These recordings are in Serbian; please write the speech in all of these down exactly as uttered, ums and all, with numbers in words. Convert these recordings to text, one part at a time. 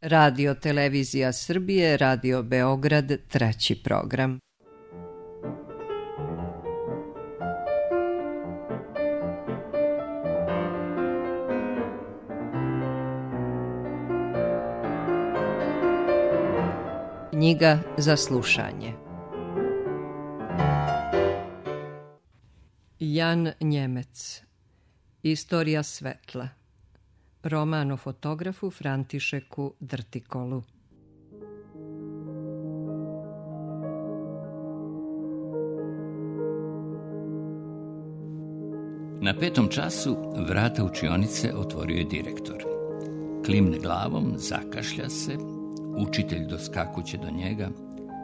Radio Televizija Srbije, Radio Beograd, treći program. Knjiga za slušanje. Jan Njemec. Istorija svetla. Roman o fotografu Františeku Drtikolu. Na petom času vrata učionice otvorio je direktor. Klimne glavom, zakašlja se, učitelj doskakuće do njega,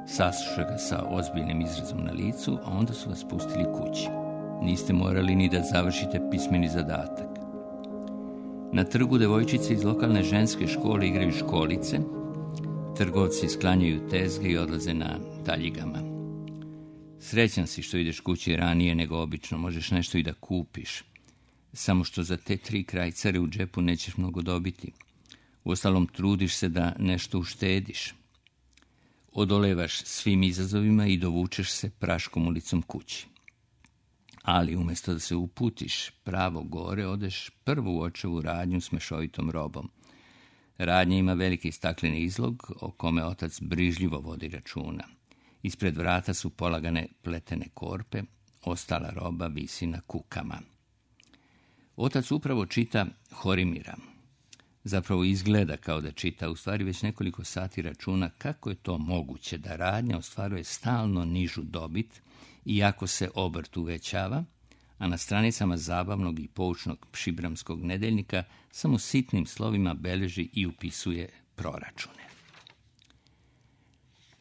sasluša ga sa ozbiljnim izrazom na licu, a onda su vas pustili kući. Niste morali ni da završite pismeni zadatak. Na trgu devojčice iz lokalne ženske škole igraju školice, trgovci sklanjaju tezge i odlaze na taljigama. Srećan si što ideš kući ranije nego obično, možeš nešto i da kupiš. Samo što za te tri krajcare u džepu nećeš mnogo dobiti. Uostalom, trudiš se da nešto uštediš. Odolevaš svim izazovima i dovučeš se praškom ulicom kući. Ali umjesto da se uputiš pravo gore, odeš prvo u očevu radnju s mešovitom robom. Radnja ima veliki stakleni izlog o kome otac brižljivo vodi računa. Ispred vrata su polagane pletene korpe, ostala roba visi na kukama. Otac upravo čita Horimira. Zapravo izgleda kao da čita, u stvari već nekoliko sati računa kako je to moguće da radnja ostvaruje stalno nižu dobit, iako se obrt uvećava, a na stranicama zabavnog i poučnog šibramskog nedeljnika samo sitnim slovima beleži i upisuje proračune.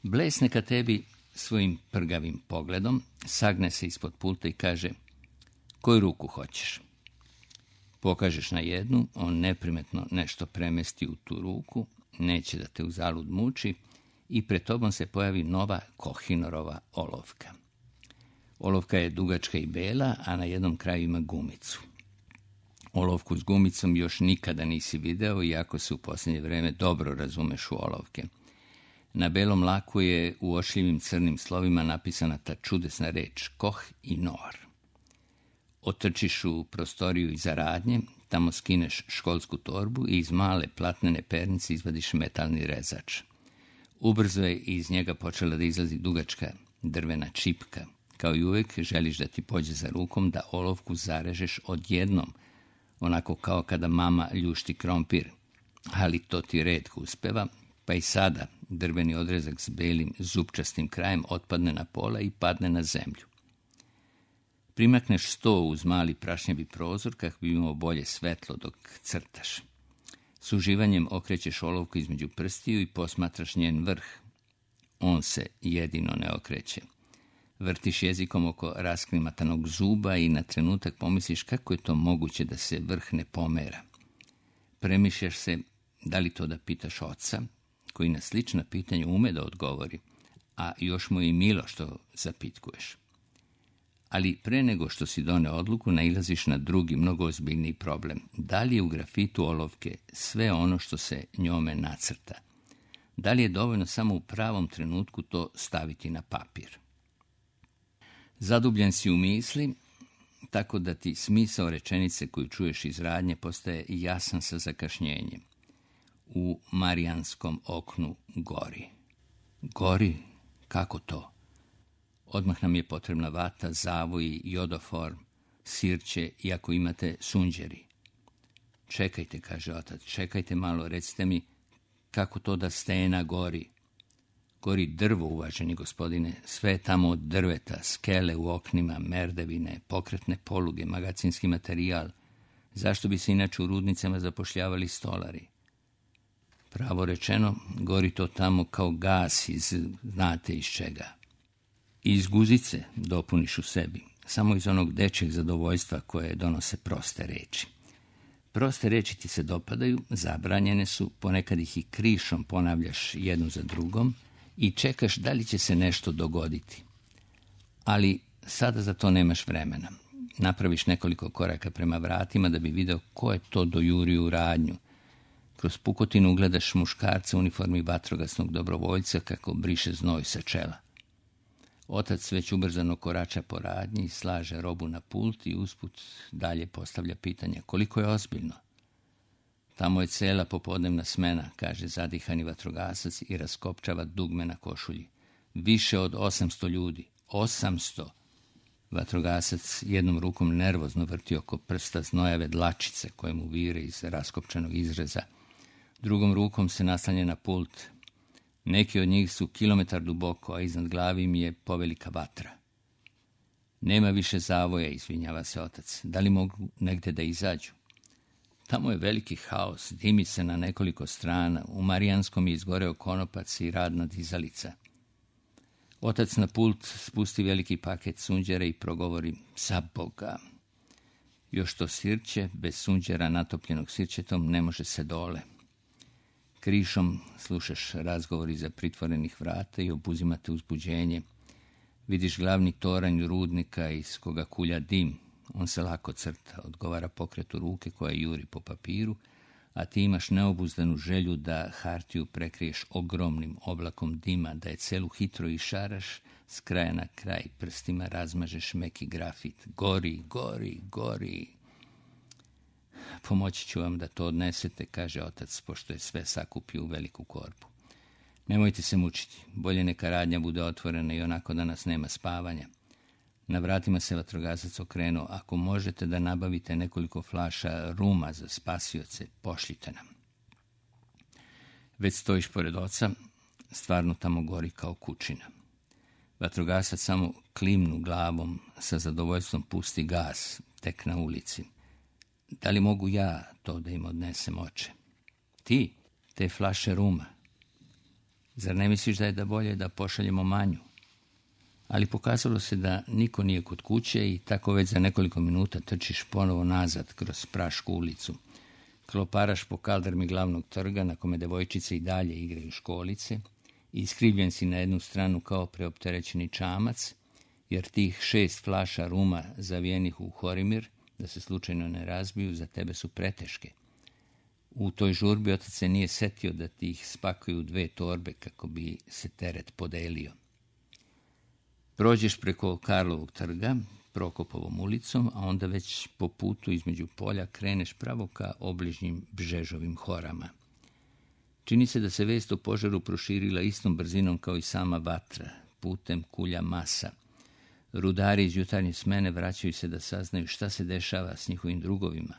Blesne ka tebi svojim prgavim pogledom, sagne se ispod pulta i kaže: koju ruku hoćeš? Pokažeš na jednu, on neprimetno nešto premesti u tu ruku, neće da te uzalud muči i pred tobom se pojavi nova Kohinorova olovka. Olovka je dugačka i bela, a na jednom kraju ima gumicu. Olovku s gumicom još nikada nisi video, iako se u posljednje vreme dobro razumeš u olovke. Na belom laku je u ošljivim crnim slovima napisana ta čudesna reč Koh i Nor. Otrčiš u prostoriju iza radnje, tamo skineš školsku torbu i iz male platnene pernice izvadiš metalni rezač. Ubrzo je iz njega počela da izlazi dugačka drvena čipka. Kao i uvek želiš da ti pođe za rukom da olovku zarežeš odjednom, onako kao kada mama ljušti krompir. Ali to ti retko uspeva, pa i sada drveni odrezak s belim zupčastim krajem otpadne na pola i padne na zemlju. Primakneš sto uz mali prašnjavi prozor kako bi imao bolje svetlo dok crtaš. S uživanjem okrećeš olovku između prstiju i posmatraš njen vrh. On se jedino ne okreće. Vrtiš jezikom oko rasklimatanog zuba i na trenutak pomisliš kako je to moguće da se vrh ne pomera. Premišljaš se da li to da pitaš oca, koji na slična pitanja ume da odgovori, a još mu je i milo što zapitkuješ. Ali pre nego što si done odluku, nailaziš na drugi, mnogo ozbiljniji problem. Da li je u grafitu olovke sve ono što se njome nacrta? Da li je dovoljno samo u pravom trenutku to staviti na papir? Zadubljen si u misli, tako da ti smisao rečenice koju čuješ iz radnje postaje jasan sa zakašnjenjem. U marijanskom oknu gori. Gori? Kako to? Odmah nam je potrebna vata, zavoji, jodoform, sirće i ako imate sunđeri. Čekajte, kaže otac, čekajte malo, recite mi kako to da stena gori. Gori drvo, uvaženi gospodine, sve je tamo od drveta, skele u oknima, merdevine, pokretne poluge, magacinski materijal. Zašto bi se inače u rudnicama zapošljavali stolari? Pravo rečeno, gori to tamo kao gas iz, znate iz čega. Iz guzice, dopuniš u sebi, samo iz onog dečjeg zadovoljstva koje donose proste reči. Proste reči ti se dopadaju, zabranjene su, ponekad ih i krišom ponavljaš jednu za drugom i čekaš da li će se nešto dogoditi. Ali sada za to nemaš vremena. Napraviš nekoliko koraka prema vratima da bi video ko je to dojurio u radnju. Kroz pukotinu gledaš muškarca u uniformi vatrogasnog dobrovoljca kako briše znoj sa čela. Otac već ubrzano korača po radnji, slaže robu na pult i usput dalje postavlja pitanja koliko je ozbiljno. Tamo je cela popodnevna smena, kaže zadihani vatrogasac i raskopčava dugme na košulji. Više od osamsto ljudi. Osamsto! Vatrogasac jednom rukom nervozno vrti oko prsta znojave dlačice koje mu vire iz raskopčanog izreza. Drugom rukom se naslanja na pult. Neki od njih su kilometar duboko, a iznad glavi mi je povelika vatra. Nema više zavoja, izvinjava se otac. Da li mogu negde da izađu? Tamo je veliki haos, dimi se na nekoliko strana. U Marijanskom je izgoreo konopac i radna dizalica. Otac na pult spusti veliki paket sunđera i progovori: za Boga. Još to sirće, bez sunđera natopljenog sirćetom, ne može se dole. Krišom slušaš razgovor iza pritvorenih vrata i obuzimate uzbuđenje. Vidiš glavni toranj rudnika iz koga kulja dim. On se lako crta, odgovara pokretu ruke koja juri po papiru, a ti imaš neobuzdanu želju da hartiju prekriješ ogromnim oblakom dima, da je celu hitro išaraš, s kraja na kraj prstima razmažeš meki grafit. Gori, gori, gori. Pomoći ću vam da to odnesete, kaže otac, pošto je sve sakupio u veliku korpu. Nemojte se mučiti, bolje neka radnja bude otvorena i onako danas nema spavanja. Na vratima se vatrogasac okrenuo: ako možete da nabavite nekoliko flaša ruma za spasioce, pošljite nam. Već stojiš pored oca, stvarno tamo gori kao kućina. Vatrogasac samo klimnu glavom, sa zadovoljstvom pusti gas, tek na ulici. Da li mogu ja to da im odnesem, oče? Ti, te flaše ruma. Zar ne misliš da je da bolje da pošaljemo Manju? Ali pokazalo se da niko nije kod kuće i tako već za nekoliko minuta trčiš ponovo nazad kroz prašku ulicu. Kloparaš po kaldrmi glavnog trga na kome devojčice i dalje igraju školice i iskrivljen si na jednu stranu kao preopterećeni čamac, jer tih šest flaša ruma zavijenih u horimir, da se slučajno ne razbiju, za tebe su preteške. U toj žurbi otac se nije setio da ti ih spakuju u dve torbe kako bi se teret podelio. Prođeš preko Karlovog trga, Prokopovom ulicom, a onda već po putu između polja kreneš pravo ka obližnjim Bžežovim horama. Čini se da se vest o požaru proširila istom brzinom kao i sama vatra, putem kulja masa. Rudari iz jutarnje smene vraćaju se da saznaju šta se dešava s njihovim drugovima.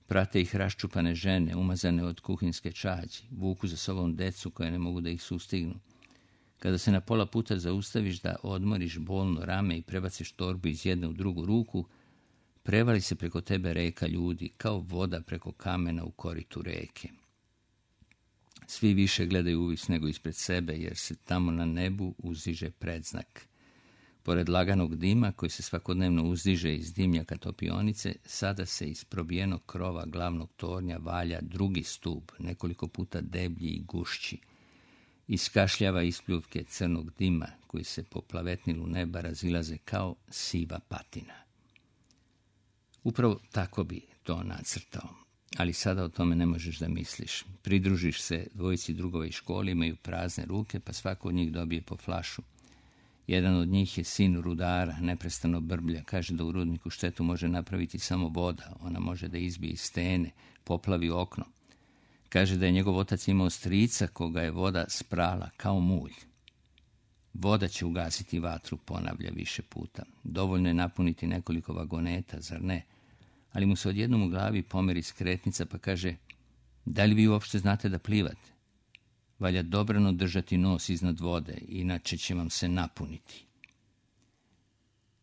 Prate ih raščupane žene, umazane od kuhinske čađi, vuku za sobom decu koje ne mogu da ih sustignu. Kada se na pola puta zaustaviš da odmoriš bolno rame i prebaciš torbu iz jedne u drugu ruku, prevali se preko tebe reka ljudi, kao voda preko kamena u koritu reke. Svi više gledaju uvis nego ispred sebe, jer se tamo na nebu uzdiže predznak. Pored laganog dima, koji se svakodnevno uzdiže iz dimnjaka topionice, sada se iz probijenog krova glavnog tornja valja drugi stub, nekoliko puta deblji i gušći. Iskašljava ispljuvke crnog dima, koji se po plavetnilu neba razilaze kao siva patina. Upravo tako bi to nacrtao, ali sada o tome ne možeš da misliš. Pridružiš se dvojici drugova iz škole, imaju prazne ruke, pa svako od njih dobije po flašu. Jedan od njih je sin rudara, neprestano brblja, kaže da u rudniku štetu može napraviti samo voda, ona može da izbije iz stene, poplavi okno. Kaže da je njegov otac imao strica koga je voda sprala kao mulj. Voda će ugasiti vatru, ponavlja više puta. Dovoljno je napuniti nekoliko vagoneta, zar ne? Ali mu se odjednom u glavi pomeri skretnica pa kaže: da li vi uopšte znate da plivate? Valja dobrano držati nos iznad vode, inače će vam se napuniti.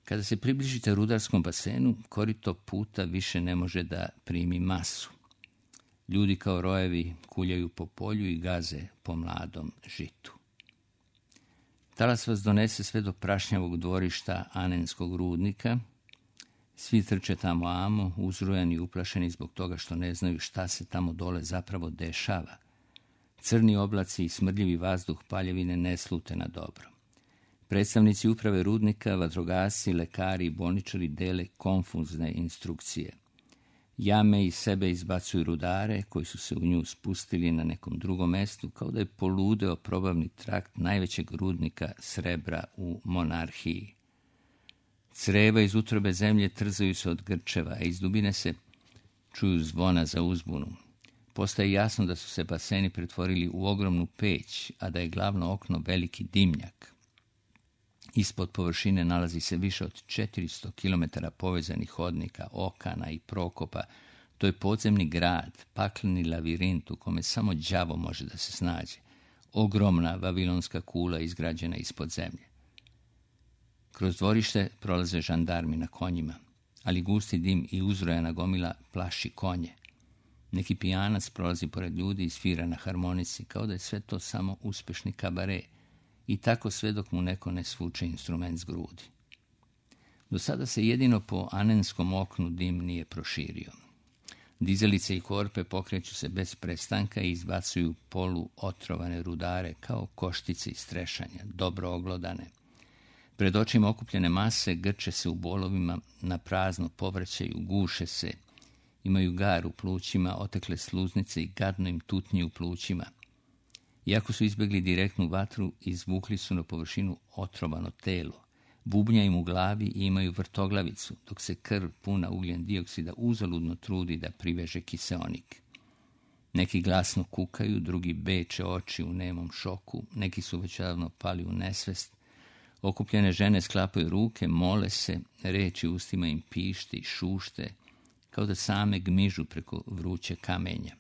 Kada se približite rudarskom basenu, korito puta više ne može da primi masu. Ljudi kao rojevi kuljaju po polju i gaze po mladom žitu. Talas vas donese sve do prašnjavog dvorišta Anenskog rudnika. Svi trče tamo amo, uzrujani i uplašeni zbog toga što ne znaju šta se tamo dole zapravo dešava. Crni oblaci i smrdljivi vazduh paljevine ne slute na dobro. Predstavnici uprave rudnika, vatrogasci, lekari i bolničari dele konfuzne instrukcije. Jame iz sebe izbacuju rudare koji su se u nju spustili na nekom drugom mestu, kao da je poludeo probavni trakt najvećeg rudnika srebra u monarhiji. Creva iz utrobe zemlje trzaju se od grčeva, a iz dubine se čuju zvona za uzbunu. Postaje jasno da su se baseni pretvorili u ogromnu peć, a da je glavno okno veliki dimnjak. Ispod površine nalazi se više od četiristo kilometara povezanih hodnika, okana i prokopa. To je podzemni grad, pakleni lavirint u kome samo đavo može da se snađe. Ogromna vavilonska kula izgrađena ispod zemlje. Kroz dvorište prolaze žandarmi na konjima, ali gusti dim i uzrojana gomila plaši konje. Neki pijanac prolazi pored ljudi i svira na harmonici, kao da je sve to samo uspešni kabare. I tako sve dok mu neko ne svuče instrument s grudi. Do sada se jedino po anenskom oknu dim nije proširio. Dizelice i korpe pokreću se bez prestanka i izbacuju polu otrovane rudare kao koštice iz trešanja, dobro oglodane. Pred očima okupljene mase grče se u bolovima, na prazno povraćaju, guše se, imaju gar u plućima, otekle sluznice i gadno im tutnji u plućima. Iako su izbjegli direktnu vatru, izvukli su na površinu otrovano telo. Bubnja im u glavi i imaju vrtoglavicu, dok se krv puna ugljen dioksida uzaludno trudi da priveže kiseonik. Neki glasno kukaju, drugi beče oči u nemom šoku, neki su već davno pali u nesvest. Okupljene žene sklapaju ruke, mole se, reči ustima im pište i šušte, kao da same gmižu preko vruće kamenja.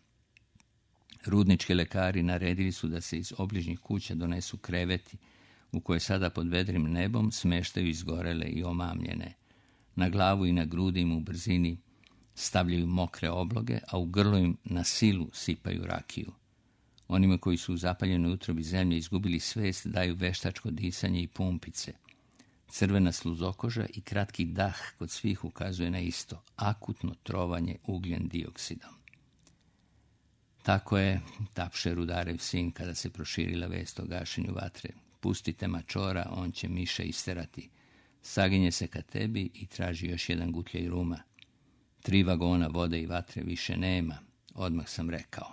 Rudnički lekari naredili su da se iz obližnjih kuća donesu kreveti, u koje sada pod vedrim nebom smeštaju izgorele i omamljene. Na glavu i na grudi im u brzini stavljaju mokre obloge, a u grlo im na silu sipaju rakiju. Onima koji su u zapaljenoj utrobi zemlje izgubili svest daju veštačko disanje i pumpice. Crvena sluzokoža i kratki dah kod svih ukazuje na isto, akutno trovanje ugljen dioksidom. Tako je, tapše rudarev sin kada se proširila vest o gašenju vatre. Pustite mačora, on će miše isterati. Saginje se ka tebi i traži još jedan gutljaj ruma. Tri vagona vode i vatre više nema, odmah sam rekao.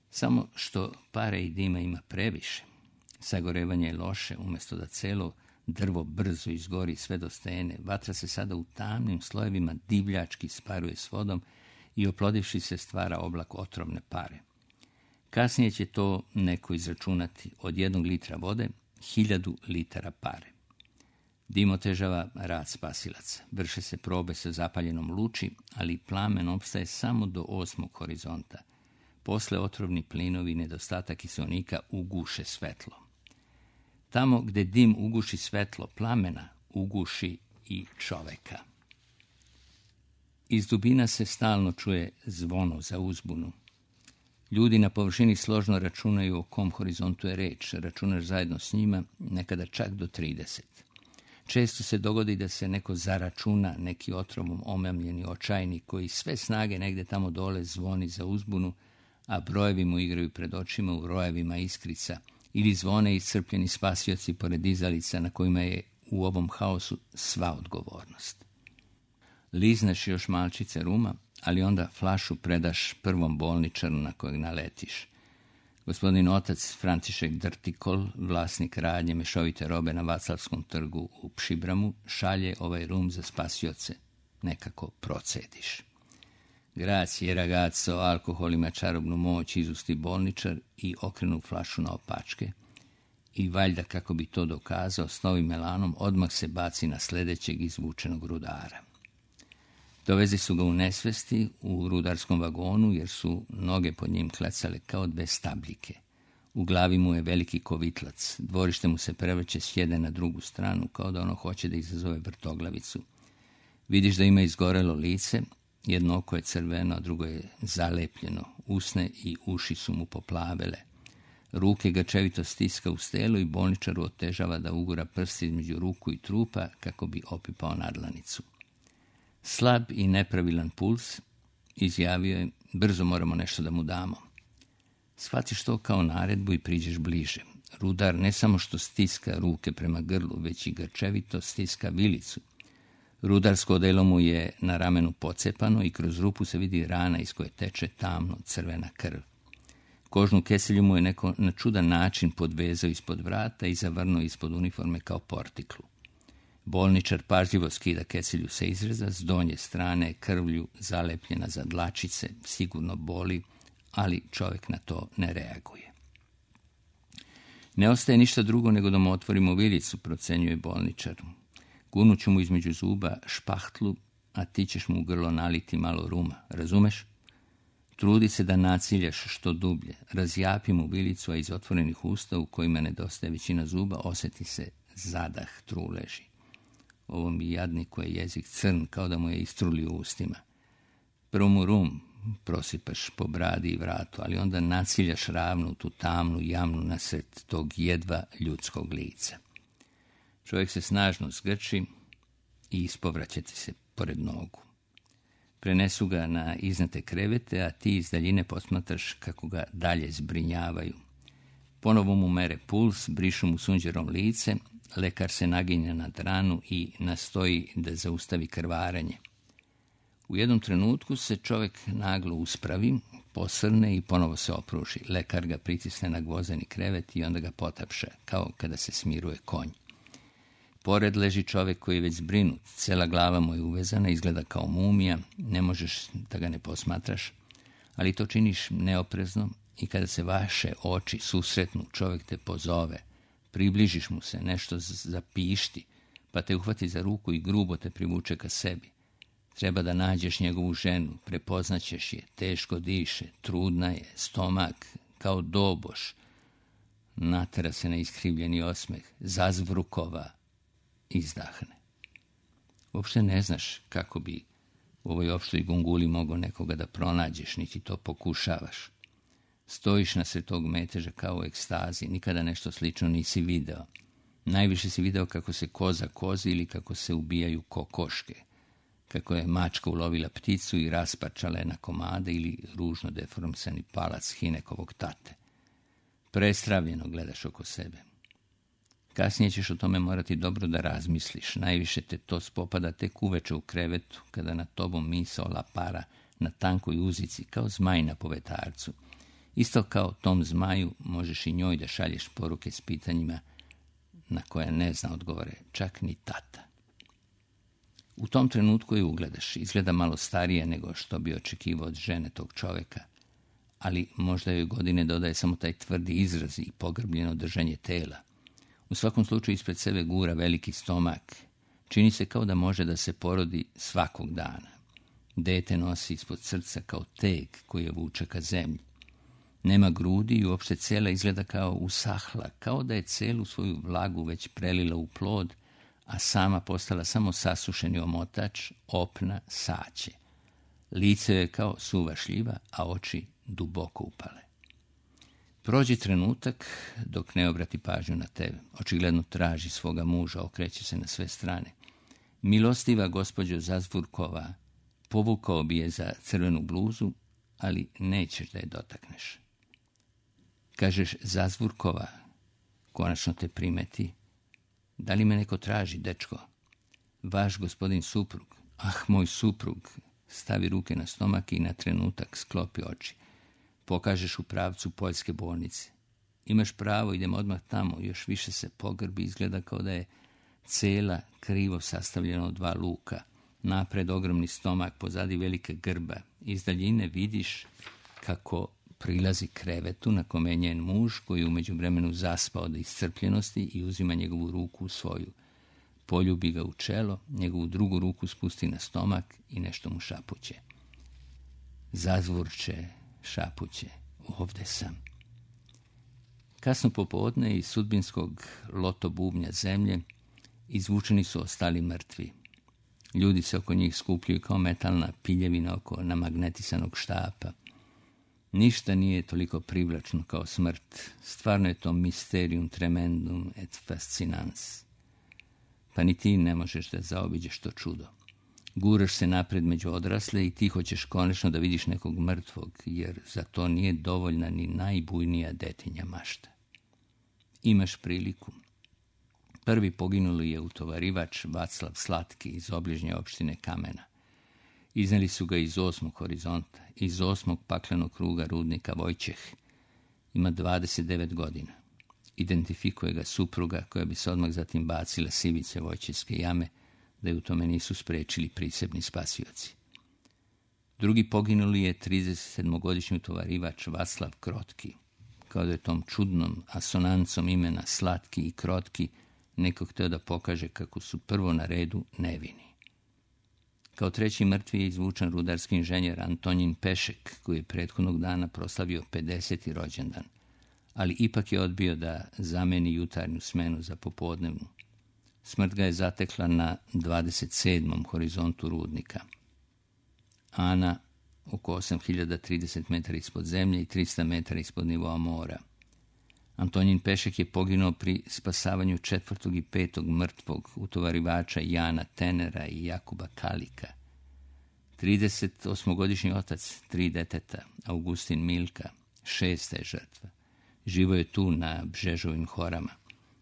Samo što pare i dima ima previše. Sagorevanje je loše, umjesto da celo drvo brzo izgori sve do stene. Vatra se sada u tamnim slojevima divljački sparuje s vodom i oplodivši se stvara oblak otrovne pare. Kasnije će to neko izračunati, od jednog litra vode, hiljadu litara pare. Dim otežava rad spasilaca. Vrše se probe sa zapaljenom luči, ali plamen opstaje samo do osmog horizonta. Posle otrovni plinovi i nedostatak kiseonika uguše svetlo. Tamo gde dim uguši svetlo plamena, uguši i čoveka. Iz dubina se stalno čuje zvono za uzbunu. Ljudi na površini složno računaju o kom horizontu je reč, računaš zajedno s njima, nekada čak do trideset. Često se dogodi da se neko zaračuna, neki otrovom omamljeni očajnik koji sve snage negde tamo dole zvoni za uzbunu, a brojevi mu igraju pred očima u rojevima iskrica, ili zvone iscrpljeni spasioci pored dizalica na kojima je u ovom haosu sva odgovornost. Lizneš još malčice ruma, ali onda flašu predaš prvom bolničaru na kojeg naletiš. Gospodin otac Francišek Drtikol, vlasnik radnje mešovite robe na Vaclavskom trgu u Pšibramu, šalje ovaj rum za spasioce. Nekako procediš. Grazie ragazzo, alkohol ima čarobnu moć, izusti bolničar i okrenu flašu na opačke. I valjda kako bi to dokazao, s novim elanom odmah se baci na sledećeg izvučenog rudara. Dovezi su ga u nesvesti u rudarskom vagonu, jer su noge pod njim klecale kao dve stabljike. U glavi mu je veliki kovitlac, dvorište mu se prevrće s jedne na drugu stranu, kao da ono hoće da izazove vrtoglavicu. Vidiš da ima izgorelo lice, jedno oko je crveno, a drugo je zalepljeno, usne i uši su mu poplavele. Ruke grčevito stiska u stelu i bolničaru otežava da ugura prst između ruku i trupa kako bi opipao nadlanicu. Slab i nepravilan puls, izjavio je, brzo moramo nešto da mu damo. Shvatiš to kao naredbu i priđeš bliže. Rudar ne samo što stiska ruke prema grlu, već i grčevito stiska vilicu. Rudarsko odelo mu je na ramenu pocepano i kroz rupu se vidi rana iz koje teče tamno crvena krv. Kožnu keselju mu je neko na čudan način podvezao ispod vrata i zavrnuo ispod uniforme kao portiklu. Bolničar pažljivo skida keselju sa izreza, s donje strane krvlju zalepljena za dlačice, sigurno boli, ali čovjek na to ne reaguje. Ne ostaje ništa drugo nego da mu otvorimo vilicu, procenjuje bolničar. Gunuću mu između zuba špahtlu, a ti ćeš mu u grlo naliti malo ruma, razumeš? Trudi se da naciljaš što dublje, razjapi mu vilicu, a iz otvorenih usta u kojima nedostaje većina zuba osjeti se zadah truleži. Ovom jadniku je jezik crn, kao da mu je istruli u ustima. Prvo mu rum prosipaš po bradi i vratu, ali onda naciljaš ravnu tu tamnu jamnu nasred tog jedva ljudskog lica. Čovjek se snažno zgrči i ispovraća ti se pored nogu. Prenesu ga na iznate krevete, a ti iz daljine posmatraš kako ga dalje zbrinjavaju. Ponovo mu mere puls, brišu mu sunđerom lice, lekar se naginja nad ranu i nastoji da zaustavi krvarenje. U jednom trenutku se čovjek naglo uspravi, posrne i ponovo se opruži. Lekar ga pritisne na gvozeni krevet i onda ga potapša, kao kada se smiruje konj. Pored leži čovjek koji je već zbrinut, cijela glava mu je uvezana, izgleda kao mumija, ne možeš da ga ne posmatraš, ali to činiš neoprezno i kada se vaše oči susretnu, čovjek te pozove, približiš mu se, nešto zapišti, pa te uhvati za ruku i grubo te privuče ka sebi. Treba da nađeš njegovu ženu, prepoznaćeš je, teško diše, trudna je, stomak kao doboš. Natera se na iskrivljeni osmeh, zazvrukova, izdahne. Uopšte ne znaš kako bi u ovoj opštoj gunguli mogao nekoga da pronađeš, niti to pokušavaš. Stojiš nasred tog meteža kao u ekstazi, nikada nešto slično nisi video. Najviše si video kako se koza kozi ili kako se ubijaju kokoške, kako je mačka ulovila pticu i rasparčala je na komade ili ružno deformisani palac Hinekovog tate. Prestravljeno gledaš oko sebe. Kasnije ćeš o tome morati dobro da razmisliš. Najviše te to spopada tek uveče u krevetu, kada nad tobom misao lapara na tankoj uzici, kao zmaj na povetarcu. Isto kao tom zmaju možeš i njoj da šalješ poruke s pitanjima na koje ne zna odgovore, čak ni tata. U tom trenutku je ugledaš, izgleda malo starije nego što bi očekivao od žene tog čovjeka, ali možda joj godine dodaje samo taj tvrdi izraz i pogrbljeno držanje tela. U svakom slučaju ispred sebe gura veliki stomak. Čini se kao da može da se porodi svakog dana. Dete nosi ispod srca kao teg koji je vuče ka zemlji. Nema grudi i uopšte cela izgleda kao usahla, kao da je celu svoju vlagu već prelila u plod, a sama postala samo sasušeni omotač, opna, saće. Lice je kao suva šljiva, a oči duboko upale. Prođe trenutak dok ne obrati pažnju na tebe. Očigledno traži svoga muža, okreće se na sve strane. Milostiva gospođo Zazvurkova, povukao bi je za crvenu bluzu, ali nećeš da je dotakneš. Kažeš Zazvurkova, konačno te primeti. Da li me neko traži, dečko? Vaš gospodin suprug. Ah, moj suprug. Stavi ruke na stomak i na trenutak sklopi oči. Pokažeš u pravcu poljske bolnice. Imaš pravo, idem odmah tamo, još više se pogrbi, izgleda kao da je cela krivo sastavljena od dva luka. Napred ogromni stomak, pozadi velike grba. Iz daljine vidiš kako prilazi krevetu na kome je njen muž, koji je u međuvremenu zaspao od iscrpljenosti i uzima njegovu ruku u svoju. Poljubi ga u čelo, njegovu drugu ruku spusti na stomak i nešto mu šapuće. Zazvurče, šapuće, ovde sam. Kasno popodne iz sudbinskog loto bubnja zemlje izvučeni su ostali mrtvi. Ljudi se oko njih skupljaju kao metalna piljevina oko namagnetisanog štapa. Ništa nije toliko privlačno kao smrt. Stvarno je to mysterium tremendum et fascinans. Pa ni ti ne možeš da zaobiđeš to čudo. Guraš se napred među odrasle i ti hoćeš konačno da vidiš nekog mrtvog, jer za to nije dovoljna ni najbujnija detinja mašta. Imaš priliku. Prvi poginuli je utovarivač Vaclav Slatki iz obližnje opštine Kamena. Izneli su ga iz osmog horizonta, iz osmog paklenog kruga rudnika Vojčeh. Ima dvadeset devet godina. Identifikuje ga supruga koja bi se odmah zatim bacila s ivice Vojčevske jame, da je u tome nisu sprečili prisebni spasioci. Drugi poginuli je tridesetsedmogodišnji utovarivač Vaclav Krotki. Kao da je tom čudnom asonancom imena Slatki i Krotki neko hteo da pokaže kako su prvo na redu nevini. Kao treći mrtvi je izvučen rudarski inženjer Antonjin Pešek, koji je prethodnog dana proslavio pedeseti rođendan, ali ipak je odbio da zameni jutarnju smenu za popodnevnu. Smrt ga je zatekla na dvadeset sedmom horizontu rudnika. Ana oko osam hiljada trideset metara ispod zemlje i trista metara ispod nivoa mora. Antonjin Pešek je poginuo pri spasavanju četvrtog i petog mrtvog utovarivača Jana Tenera i Jakuba Kalika. trideset osmogodišnji otac, tri deteta, Augustin Milka, šesta je žrtva. Živo je tu na Bžežovim horama,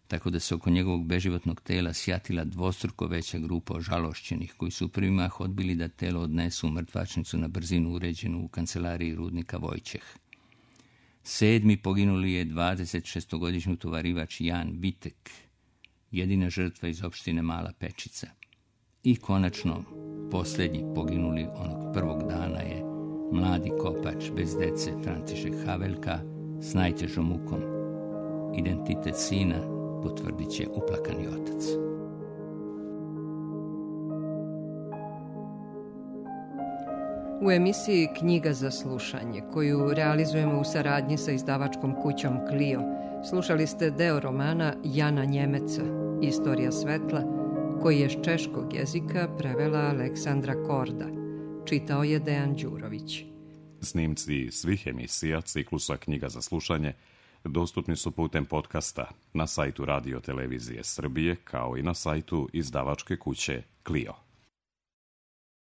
tako da se oko njegovog beživotnog tela sjatila dvostruko veća grupa ožalošćenih, koji su u prvi mah odbili da telo odnesu u mrtvačnicu na brzinu uređenu u kancelariji rudnika Vojčeh. Sedmi poginuli je dvadesetšestogodišnji utovarivač Jan Vitek, jedina žrtva iz opštine Mala Pečica. I konačno, posljednji poginuli onog prvog dana je mladi kopač bez dece František Havelka s najtežom mukom. Identitet sina potvrdit će uplakani otac. U emisiji Knjiga za slušanje, koju realizujemo u saradnji sa izdavačkom kućom Clio, slušali ste deo romana Jana Njemeca, Istorija svetla, koji je s češkog jezika prevela Aleksandra Korda. Čitao je Dejan Đurović. Snimci svih emisija ciklusa Knjiga za slušanje dostupni su putem podcasta na sajtu Radio Televizije Srbije, kao i na sajtu izdavačke kuće Clio.